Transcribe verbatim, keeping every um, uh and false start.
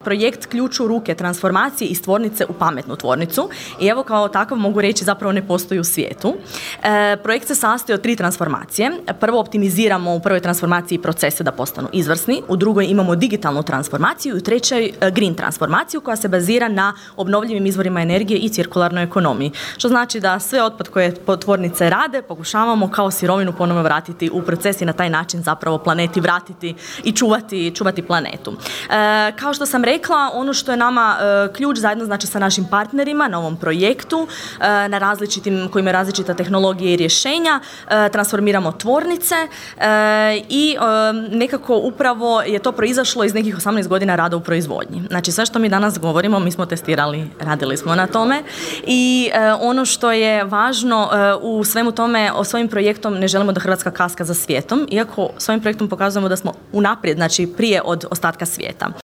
Projekt Ključ u ruke transformacije iz tvornice u pametnu tvornicu i evo kao takav mogu reći zapravo ne postoji u svijetu. E, projekt se sastoji od tri transformacije. Prvo optimiziramo u prvoj transformaciji procese da postanu izvrsni, u drugoj imamo digitalnu transformaciju i u trećoj green transformaciju koja se bazira na obnovljivim izvorima energije i cirkularnoj ekonomiji. Što znači da sve otpad koje tvornice rade pokušavamo kao sirovinu ponovno vratiti u proces i na taj način zapravo planeti vratiti i čuvati, čuvati planetu. E, kao što sam rekla, ono što je nama e, ključ zajedno znači sa našim partnerima na ovom projektu, e, na različitim, koji imaju različita tehnologije i rješenja, e, transformiramo tvornice e, i e, nekako upravo je to proizašlo iz nekih osamnaest godina rada u proizvodnji. Znači sve što mi danas govorimo, mi smo testirali, radili smo na tome i e, ono što je važno e, u svemu tome, o svojim projektom ne želimo da Hrvatska kaska za svijetom, iako svojim projektom pokazujemo da smo unaprijed, znači prije od ostatka svijeta.